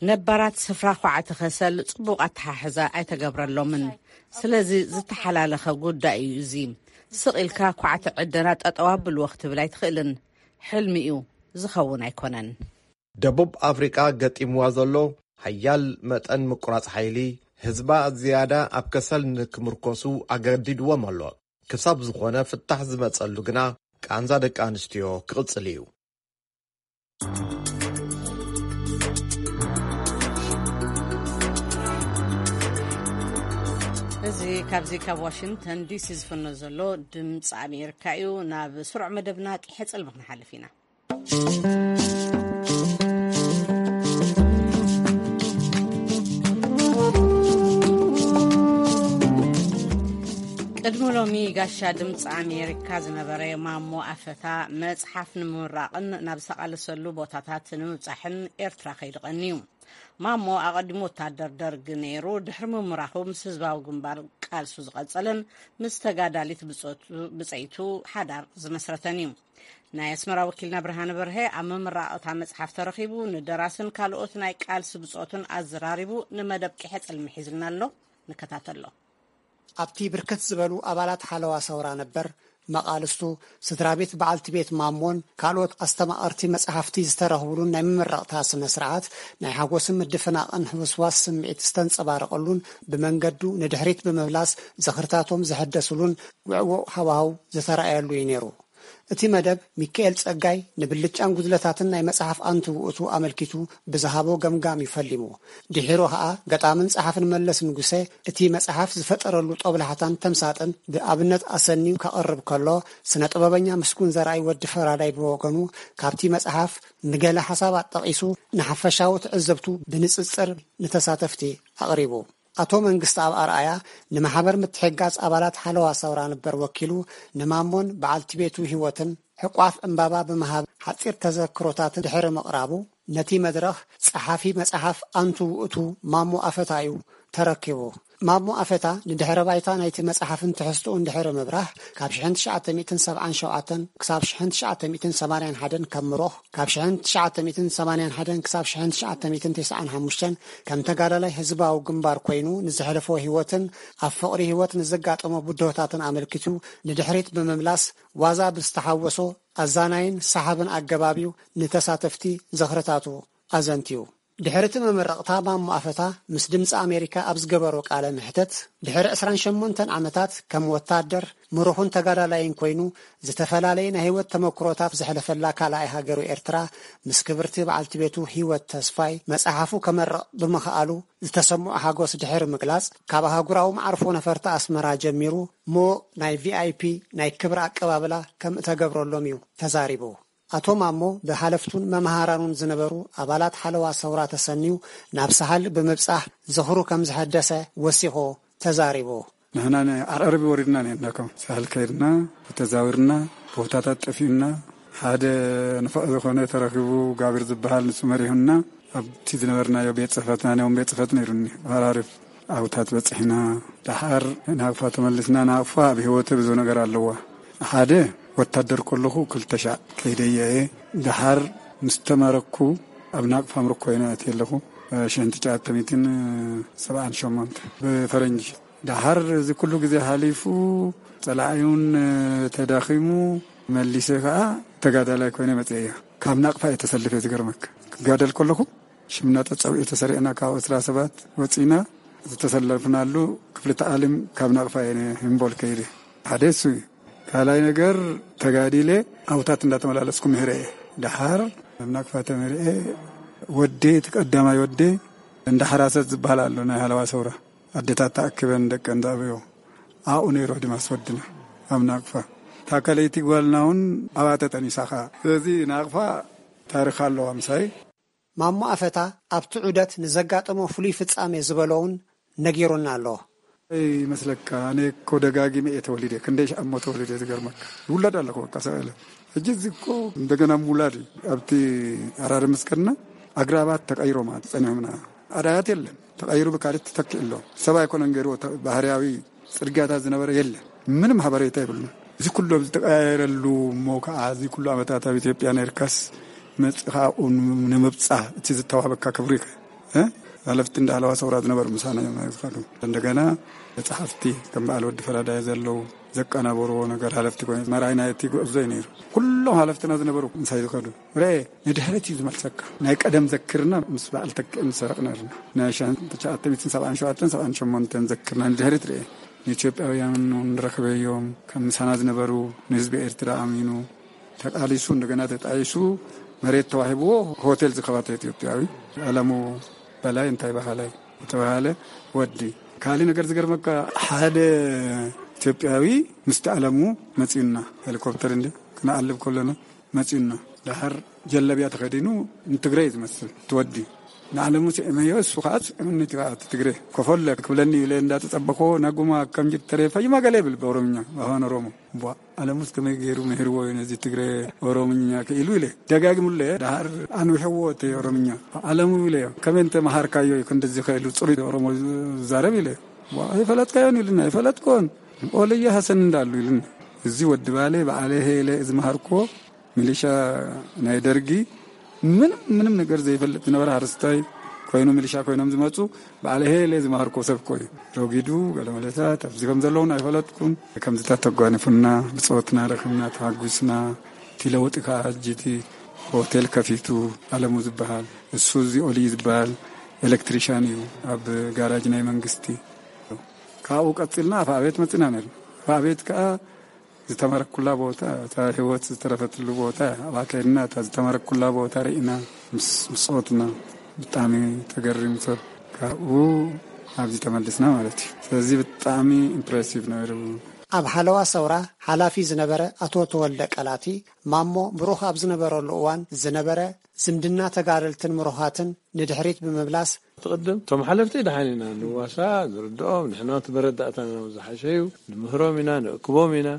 ነባራት ስፍራ ኳዕቲ ከሰል ጽቡቕ ኣተሓሕዛ ኣይተገብረሎምን። ስለዚ ዝተሓላለኸ ጉዳይ እዩ እዚ። ስቕ ኢልካ ኳዕቲ ዕደና ጠጠው ኣብልዎ ክትብል ኣይትኽእልን። ሕልሚ እዩ፣ ዝኸውን ኣይኮነን። ደቡብ ኣፍሪቃ ገጢምዋ ዘሎ ሓያል መጠን ምቁራጽ ሓይሊ ህዝባ ዝያዳ ኣብ ከሰል ንክምርኮሱ ኣገዲድዎም ኣሎ። ክሳብ ዝኾነ ፍታሕ ዝመጸሉ ግና ቃንዛ ደቂ ኣንስትዮ ክቕጽል እዩ። እዚ ካብዚ ካብ ዋሽንግተን ዲሲ ዝፍኖ ዘሎ ድምፂ ኣሜሪካ እዩ። ናብ ስሩዕ መደብና ቂሐ ፅልሚ ክንሓልፍ ኢና። ቅድሚ ሎሚ ጋሻ ድምፂ ኣሜሪካ ዝነበረ ማሞ ኣፈታ መፅሓፍ ንምምራቕን ናብ ዝተቓለሰሉ ቦታታት ንምብፃሕን ኤርትራ ከይዱ ቀንዩ። ማሞ ኣቐዲሙ ወታደር ደርግ ነይሩ። ድሕሪ ምምራኹ ምስ ህዝባዊ ግንባር ቃልሱ ዝቐጸለን ምስ ተጋዳሊት ብጾቱ-፣ ብጸይቱ ሓዳር ዝመስረተን እዩ። ናይ ኣስመራ ወኪልና ብርሃነ በርሀ ኣብ ምምራቕ እታ መጽሓፍ ተረኺቡ፣ ንደራስን ካልኦት ናይ ቃልሲ ብጾቱን ኣዘራሪቡ ንመደብ ቂሐ ጽልሚ ሒዙልና ኣሎ። ንከታተሎ። ኣብቲ ብርክት ዝበሉ ኣባላት ሓለዋ ሰውራ ነበር፣ መቓልስቱ፣ ስድራ ቤት በዓልቲ ቤት ማሞን ካልኦት ኣስተማቐርቲ መጽሓፍቲ ዝተረኽብሉን ናይ ምምረቕታ ስነ ስርዓት፣ ናይ ሓጎስን ምድፍናቕን ህውስዋስ ስምዒት ዝተንጸባረቐሉን ብመንገዱ ንድሕሪት ብምምላስ ዝኽርታቶም ዝሕደስሉን ውዕዉዕ ሃዋህው ዝተራእየሉ እዩ ነይሩ። እቲ መደብ ሚካኤል ጸጋይ ንብልጫን ጉድለታትን ናይ መጽሓፍ ኣንቱ ውእቱ ኣመልኪቱ ብዝሃቦ ገምጋም እዩ ፈሊሙ። ድሒሩ ኸኣ ገጣምን ጸሓፍን መለስ ንጉሰ እቲ መጽሓፍ ዝፈጠረሉ ጦብላሕታን ተምሳጥን ብኣብነት ኣሰንዩ ከቕርብ ከሎ፣ ስነ ጥበበኛ ምስጉን ዘርኣይ ወዲ ፈራዳይ ብወገኑ ካብቲ መጽሓፍ ንገለ ሓሳባት ጠቒሱ ንሓፈሻዊ ትዕዘብቱ ብንጽጽር ንተሳተፍቲ ኣቕሪቡ። ኣቶ መንግስተኣብ ኣርኣያ ንማሕበር ምትሕግጋዝ ኣባላት ሓለዋ ሰውራ ነበር ወኪሉ ንማሞን በዓልቲ ቤቱ ህይወትን ሕቋፍ ዕምባባ ብምሃብ ሓጺር ተዘክሮታት ድሕሪ ምቕራቡ፣ ነቲ መድረኽ ጸሓፊ መጽሓፍ ኣንቱ ውእቱ ማሞ ኣፈታ እዩ ተረኪቡ። ማሞ ኣፈታ ንድሕረ ባይታ ናይቲ መጽሓፍን ትሕዝትኡን ድሕሪ ምብራህ፣ ካብ ሽሕን ትሽዓተ ሚእትን ሰብዓን ሸውዓተን ክሳብ ሽሕን ትሽዓተ ሚእትን ሰማንያን ሓደን ካብ ምሮኽ፣ ካብ ሽሕን ትሽዓተ ሚእትን ሰማንያን ሓደን ክሳብ ሽሕን ትሽዓተ ሚእትን ተስዓን ሓሙሽተን ከም ተጋዳላይ ህዝባዊ ግንባር ኮይኑ ንዘሕለፎ ህይወትን ኣብ ፍቕሪ ህይወት ንዘጋጠሞ ብድሆታትን ኣመልኪቱ ንድሕሪት ብምምላስ ዋዛ ብዝተሓወሶ ኣዛናይን ሰሓብን ኣገባብ እዩ ንተሳተፍቲ ዝኽርታቱ ኣዘንትዩ። ድሕሪ እቲ መመረቕታ ማሞ ኣፈታ ምስ ድምፂ ኣሜሪካ ኣብ ዝገበሮ ቃለ መሕተት፣ ድሕሪ ዕስራን ሸሞንተን ዓመታት ከም ወታደር፣ ምሩኽን ተጋዳላይን ኮይኑ ዝተፈላለየ ናይ ህይወት ተመክሮታት ዘሕለፈላ ካልኣይ ሃገሩ ኤርትራ፣ ምስ ክብርቲ በዓልቲ ቤቱ ህይወት ተስፋይ መጽሓፉ ከመርቕ ብምኽኣሉ ዝተሰምዖ ሓጎስ ድሕሪ ምግላጽ፣ ካብ ኣህጉራዊ መዓርፎ ነፈርቲ ኣስመራ ጀሚሩ ምዉቕ ናይ ቪ ኣይ ፒ ናይ ክብሪ ኣቀባብላ ከም እተገብረሎም እዩ ተዛሪቡ። ኣቶ ማሞ ብሓለፍቱን መምሃራኑን ዝነበሩ ኣባላት ሓለዋ ሰውራ ተሰንዩ ናብ ሳህል ብምብጻሕ ዝኽሩ ከም ዝሐደሰ ወሲኹ ተዛሪቡ። ንሕና ንዓርዓርቢ ወሪድና ነርና፣ ከም ሳህል ከይድና ተዛዊርና፣ ቦታታት ጠፊኡና፣ ሓደ ንፉዕ ዝኾነ ተረኺቡ፣ ጋብር ዝበሃል ንሱ መሪሁና። ኣብቲ ዝነበርናዮ ቤት ጽሕፈትና፣ ናይ ቤት ጽሕፈት ነይሩኒ፣ ሃራሪፍ ዓውታት በጽሕና። ደሓር ናቕፋ ተመልስና። ናቕፋ ኣብ ህይወተይ ብዙ ነገር ኣለዋ። ሓደ፣ ወታደር ከለኹ ክልተ ሻዕ ከይደየ እየ። ደሓር ምስ ተማረኩ ኣብ ናቕፋ ምርኮ እየ ኣትየ ኣለኹ። ሽሕን ትሽዓተ ሚእትን ሰብዓን ሸሞንተ ብፈረንጂ። ደሓር እዚ ኩሉ ግዜ ሓሊፉ፣ ጸላኢውን ተዳኺሙ፣ መሊሰ ከኣ ተጋዳላይ ኮይነ መጽአ እየ። ካብ ናቕፋ እየ ተሰልፈ፣ ዝገርመካ። ክጋደል ከለኹ ሽምና ተጸዊዑ ተሰሪዕና ካብ ዕስራ ሰባት ወጺና ዝተሰለፍናሉ ክፍሊ ተዓሊም ካብ ናቕፋ እየ ህምቦል ከይደ። ሓደ እሱ እዩ። ካልኣይ ነገር ተጋዲለ ኣውታት እንዳተመላለስኩ ምህረ እየ። ደሓር ኣብ ናቕፋ ተመሪዐ ወዴ፣ እቲ ቀዳማይ ወዴ እንዳ ሓራሰት ዝበሃል ኣሎ ናይ ሃለዋ ሰውራ። ኣዴታት ተኣኪበን ደቀን ዘዕብዮ ኣብኡ ነይሩ ኣድማስ ወድና ኣብ ናቕፋ። እታ ከለይቲ ጓልና እውን ኣብኣ ተጠኒሳ ኸዓ። ስለዚ ናቕፋ ታሪኽ ኣለዋ ምሳይ። ማሞ ኣፈታ ኣብቲ ዑደት ንዘጋጠሞ ፍሉይ ፍጻሜ ዝበሎ እውን ነጊሩና ኣሎ። ይመስለካ፣ ኣነ እኮ ደጋጊመ እየ ተወሊደ፣ ክንደይ ሻዕ እሞ ተወሊደ፣ ዝገርመካ። ይውለድ ኣለኹ በቃ ሰብኣለ። ሕጂ እዚ እኮ እንደገና ምውላድ እዩ። ኣብቲ ኣራሪ ምስ ከድና ኣግራባት ተቐይሮም ጸኒሖምና። ኣዳያት የለን፣ ተቐይሩ ብካልእ ተተኪኡ ኣሎ። ሰብ ኣይኮነን ገይርዎ፣ ተ-፣ ባህርያዊ ጽርግያታት ዝነበረ የለን። ምንም ሓበሬታ የብሉን። እዚ ኩሉ ኣብ ዝተቀያየረሉ እሞ ከዓ እዚ ኩሉ ዓመታት ኣብ ኢትዮጵያ ነርካስ መጽእ ከዓ ኣብኡ ን-፣ ንምብጻሕ እቲ ዝተዋህበካ ክብሪ ከ-፣ እ? ሓለፍቲ እንዳሃለዋ ሰውራ ዝነበሩ ምሳና እዮም ዝኸዱ። እንደገና ጸሓፍቲ ከም በዓል ወዲ ፈራዳይ ዘለዉ ዘቀናበርዎ ነገር ሓለፍቲ ኮይኑ መራሒ ናይ እቲ ጉዕዞ እዩ ነይሩ። ኩሎም ሓለፍትና ዝነበሩ ምሳይ ዝኸዱ። ርኤ፣ ንድሕሪት እዩ ዝመልሰካ። ናይ ቀደም ዘክርና ምስ በዓል ተኪእን ዝሰረቕና ርና። ናይ ሽሕን ትሽዓተ ሚእትን ሰብዓን ሸውዓተን ሰብዓን ሸሞንተን ዘክርና ንድሕሪት ርኤ። ንኢትዮጵያውያን እውን ረኽበዮም፣ ከም ምሳና ዝነበሩ፣ ንህዝቢ ኤርትራ ኣሚኑ፣ ተቃሊሱ፣ እንደገና ተጣይሱ፣ መሬት ተዋሂብዎ፣ ሆቴል ዝኸፈተ ኢትዮጵያዊ፣ ኣለሙ በላይ እንታይ በሃላይ ዝተባሃለ ወዲ። ካልእ ነገር ዝገርመካ፣ ሓደ ኢትዮጵያዊ ምስቲ ኣለሙ መጺኡና፣ ሄሊኮፕተር እንደ ክንዓልብ ከለና መጺኡና። ደሓር ጀለብያ ተኸዲኑ ንትግረ እዩ ዝመስል፣ እቲ ወዲ። ንዓለሙ ስዕመዮ፣ እሱ ከዓ ስዕምኒ እቲ ትግረ። ኮፈለ ክብለኒ ኢለ እንዳተጸበኾ፣ ናጉማ ከም ጅርተሬ ፈይማ ገለ ይብል ብኦሮምኛ፣ ብኣፋን ኦሮሞ። ቧ፣ ኣለሙስ ከመይ ገይሩ ምሂርዎ እዩ ነዚ ትግረ ኦሮምኛ ክኢሉ ኢለ። ደጋግሙለ፣ ደሃር ኣንዊሕዎ እቲ ኦሮምኛ። ኣለሙ ኢለዮ፣ ከመይ እንተ መሃርካዮ እዩ ክንድዚ ኸኢሉ ጽሩይ ኦሮሞ ዝዛረብ ኢለ። ቧ፣ ኣይፈለጥካዮን ኢሉና፣ ኣይፈለጥኮን። ኦለየ ሐሰን እንዳሉ ኢሉና። እዚ ወዲ ባሌ፣ በዓለ ሄለ፣ እዚ መሃርኮ፣ ሚሊሻ ናይ ደርጊ፣ ምንም፣ ምንም ነገር ዘይፈልጥ ዝነበረ ሓረስታይ ኮይኑ፣ ሚሊሻ ኮይኖም ዝመጹ፣ በዓል ሄለ ዝመሃርኮ ሰብ እኮ እዩ። ረጒዱ፣ ገለ መለታት ኣብዚ ከም ዘለውን ኣይፈለጥኩን። ከምዚታት ተጓኒፉና፣ ብጾትና ረኺብና፣ ተሃጒስና፣ እቲ ለውጢ ከኣ ሕጂ እቲ ሆቴል ከፊቱ፣ ኣለሙ ዝበሃል፣ እሱ እዚ ኦሊ ዝበሃል ኤሌክትሪሻን እዩ፣ ኣብ ጋራጅ ናይ መንግስቲ። ካብኡ ቀጺልና ኣፍኣቤት መጺና ነርና። ኣፍኣቤት ከኣ ዝተመረኩላ ቦታ፣ እታ ህይወት ዝተረፈትሉ ቦታ፣ ኣብኣ ከይድና እታ ዝተመረኩላ ቦታ ርኢና፣ ምስ፣ ምስ ጾትና፣ ብጣዕሚ ተገሪሙ ሰብ። ካብኡ ኣብዚ ተመልስና ማለት እዩ። ስለዚ ብጣዕሚ ኢምፕሬሲቭ ነይሩ። ኣብ ሓለዋ ሰውራ ሓላፊ ዝነበረ ኣቶ ተወልደ ቀላቲ፣ ማሞ ብሩኽ ኣብ ዝነበረሉ እዋን ዝነበረ ዝምድና ተጋደልትን ምሩኻትን ንድሕሪት ብምምላስ፣ ትቕድም፣ እቶም ሓለፍቲ ደሓን ኢና ንዋሳ፣ ንርድኦም፣ ንሕና እቲ መረዳእታና ዝሓሸ እዩ፣ ንምህሮም ኢና፣ ንእክቦም ኢና፣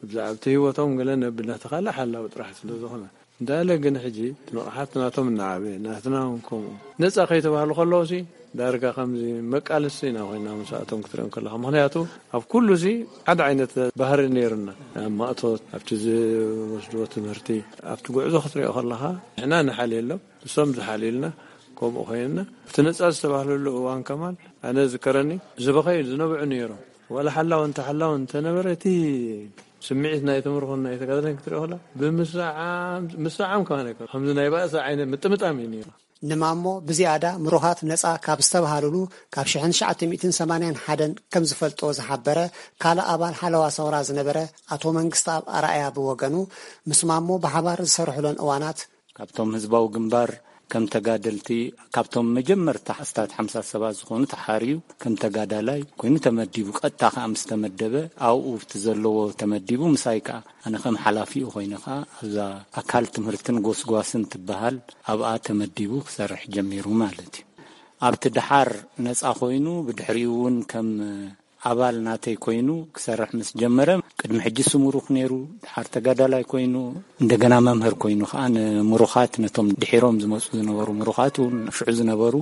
ብዛዕባ እቲ ህይወቶም ገለ ነብና ተኻለ ሓላዊ ጥራሕ ስለ ዝኾነ። እንዳለ ግን ሕጂ እቲ ንቕሓት ናቶም እናዓበየ፣ ናትና እውን ከምኡ። ነጻ ከይተባህሉ ከለዉ ሲ፣ ዳርጋ ከምዚ መቃልስቲ ኢና ኮይና ምስኣቶም ክትሪኦም ከለኻ። ምኽንያቱ ኣብ ኩሉ ሲ ሓደ ዓይነት ባህሪ ነይሩና። ኣብ ማእቶት፣ ኣብቲ ዝወስድዎ ትምህርቲ፣ ኣብቲ ጉዕዞ ክትሪኦ ከለኻ፣ ንሕና ንሓልየሎም፣ ንሶም ዝሓልዩልና፣ ከምኡ ኮይንና። እቲ ነጻ ዝተባህለሉ እዋን ከማን፣ ኣነ ዝከረኒ፣ ዝበኸዩ ዝነብዑ ነይሮም። ዋላ ሓላው እንተ ሓላው እንተነበረ፣ እቲ ስምዒት ናይ ትምህርኹን ናይ ተጋድለን ክትሪኦ ከላ፣ ብምስዓም፣ ምስዓም ከማን ኣይኮነ። ከምዚ ናይ ባእሲ ዓይነት ምጥምጣም እዩ ነይሩ። ንማሞ ብዝያዳ ምሩኻት ነጻ ካብ ዝተባሃሉሉ ካብ ሽሕን ትሽዓተ ሚእትን ሰማንያን ሓደን ከም ዝፈልጦ ዝሓበረ ካልእ ኣባል ሓለዋ ሰውራ ዝነበረ ኣቶ መንግስተኣብ ኣርኣያ ብወገኑ፣ ምስ ማሞ ብሓባር ዝሰርሕሎን እዋናት፣ ካብቶም ህዝባዊ ግንባር ከም ተጋደልቲ፣ ካብቶም መጀመርታ ኣስታት ሓምሳ ሰባት ዝኾኑ ተሓርዩ ከም ተጋዳላይ ኮይኑ ተመዲቡ፣ ቀጥታ ከኣ ምስ ተመደበ ኣብኡ እቲ ዘለዎ ተመዲቡ፣ ምሳይ ከኣ ኣነ ከም ሓላፊኡ ኮይነ ከኣ ኣብዛ ኣካል ትምህርትን ጎስጓስን ትበሃል ኣብኣ ተመዲቡ ክሰርሕ ጀሚሩ ማለት እዩ። ኣብቲ ደሓር ነጻ ኮይኑ ብድሕሪኡ እውን ከም ኣባል ናተይ ኮይኑ ክሰርሕ ምስ ጀመረ፣ ቅድሚ ሕጂ ስሙሩኽ ነይሩ፣ ደሓር ተጋዳላይ ኮይኑ፣ እንደገና መምህር ኮይኑ ከኣ ንምሩኻት፣ ነቶም ድሒሮም ዝመጹ ዝነበሩ ምሩኻት እውን ሽዑ ዝነበሩ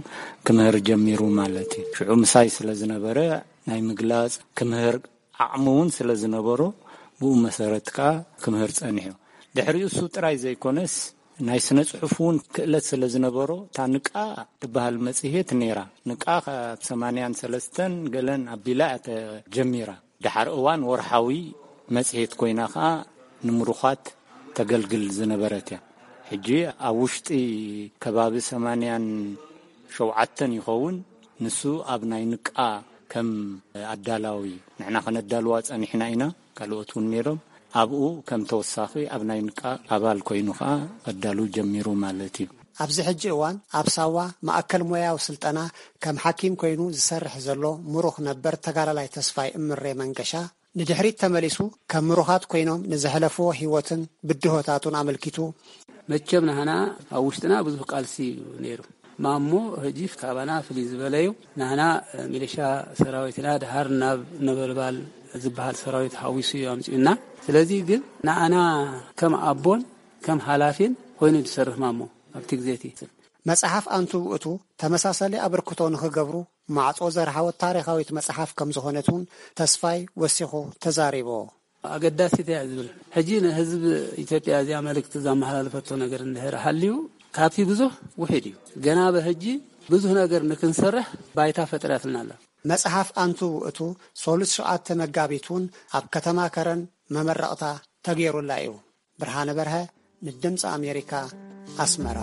ክምህር ጀሚሩ ማለት እዩ። ሽዑ ምሳይ ስለ ዝነበረ ናይ ምግላጽ ክምህር ዓቕሚ እውን ስለ ዝነበሮ፣ ብኡ መሰረት ከኣ ክምህር ጸኒሑ። ድሕሪኡ እሱ ጥራይ ዘይኮነስ፣ ናይ ስነ ጽሑፍ እውን ክእለት ስለ ዝነበሮ፣ እታ ንቃ ትበሃል መጽሔት ነይራ። ንቃ ካብ ሰማንያን ሰለስተን ገለን ኣቢላ እያ ተጀሚራ። ደሓር እዋን ወርሓዊ መጽሔት ኮይና ከኣ ንምሩኻት ተገልግል ዝነበረት እያ። ሕጂ ኣብ ውሽጢ ከባቢ ሰማንያን ሸውዓተን ይኸውን። ንሱ ኣብ ናይ ንቃ ከም ኣዳላዊ ንሕና ከነዳልዋ ጸኒሕና ኢና። ካልኦት እውን ነይሮም። ኣብኡ ከም ተወሳኺ ኣብ ናይ ንቃ ኣባል ኮይኑ ከኣ ኣዳሉ ጀሚሩ ማለት እዩ። ኣብዚ ሕጂ እዋን ኣብ ሳዋ ማእከል ሞያዊ ስልጠና ከም ሓኪም ኮይኑ ዝሰርሕ ዘሎ ምሩኽ ነበር ተጋዳላይ ተስፋይ እምሬ መንገሻ፣ ንድሕሪት ተመሊሱ ከም ምሩኻት ኮይኖም ንዘሕለፍዎ ህይወትን ብድሆታቱን ኣመልኪቱ፣ መቸም ናህና ኣብ ውሽጥና ብዙሕ ቃልሲ እዩ ነይሩ። ማሞ ሕጂ ካባና ፍልይ ዝበለ እዩ። ናህና ሚሊሻ ሰራዊትና ድሃር ናብ ነበልባል ዝበሃል ሰራዊት ሓዊሱ እዩ ኣምጺኡና። ስለዚ ግን ንኣና ከም ኣቦን ከም ሓላፊን ኮይኑ ዝሰርሕ ማሞ ኣብቲ ግዜ እቲ። መጽሓፍ ኣንቱ ውእቱ ተመሳሳሊ ኣበርክቶ ንኽገብሩ ማዕጾ ዘርሓወት ታሪኻዊት መጽሓፍ ከም ዝኾነት እውን ተስፋይ ወሲኹ ተዛሪቡ። ኣገዳሲት እያ ዝብል። ሕጂ ንህዝቢ ኢትዮጵያ እዚኣ መልእክቲ ዘመሓላልፈቶ ነገር እንድሕር ሃልዩ፣ ካብቲ ብዙሕ ውሒድ እዩ። ገና ብሕጂ ብዙሕ ነገር ንክንሰርሕ ባይታ ፈጢራትልና ኣላ። መጽሓፍ ኣንቱ ውእቱ ሰሉስ ሸውዓተ መጋቢት እውን ኣብ ከተማ ከረን መመረቕታ ተገይሩላ እዩ። ብርሃነ በርሀ ንድምፂ ኣሜሪካ ኣስመራ።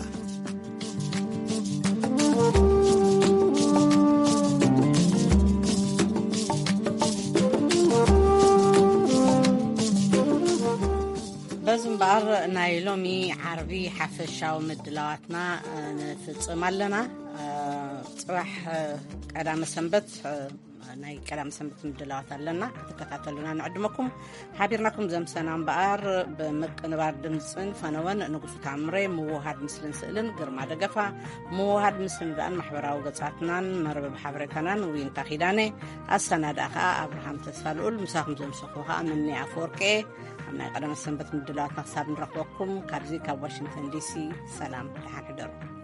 በዚ እምበኣር ናይ ሎሚ ዓርቢ ሓፈሻዊ ምድላዋትና ንፍጽም ኣለና። ጽባሕ ቀዳመ ሰንበት ናይ ቀዳም ሰንበት ምድላዋት ኣለና፣ ክትከታተሉና ንዕድመኩም። ሓቢርናኩም ዘምሰና እምበኣር፣ ብምቅንባር ድምፅን ፈነወን ንጉሱ ታምሬ፣ ምውሃድ ምስልን ስእልን ግርማ ደገፋ፣ ምውሃድ ምስልን ዳን ማሕበራዊ ገጻትናን መርበብ ሓበሬታናን ዊንታ ኪዳነ፣ ኣሰናድኣ ከዓ ኣብርሃም ተስፋ ልኡል፣ ምሳኹም ዘምሰኹ ከዓ ምኒ ኣፈወርቄ። ኣብ ናይ ቀደመ ሰንበት ምድላዋትና ክሳብ ንረኽበኩም፣ ካብዚ ካብ ዋሽንግተን ዲሲ ሰላም፣ ደሓን ሕደሩ።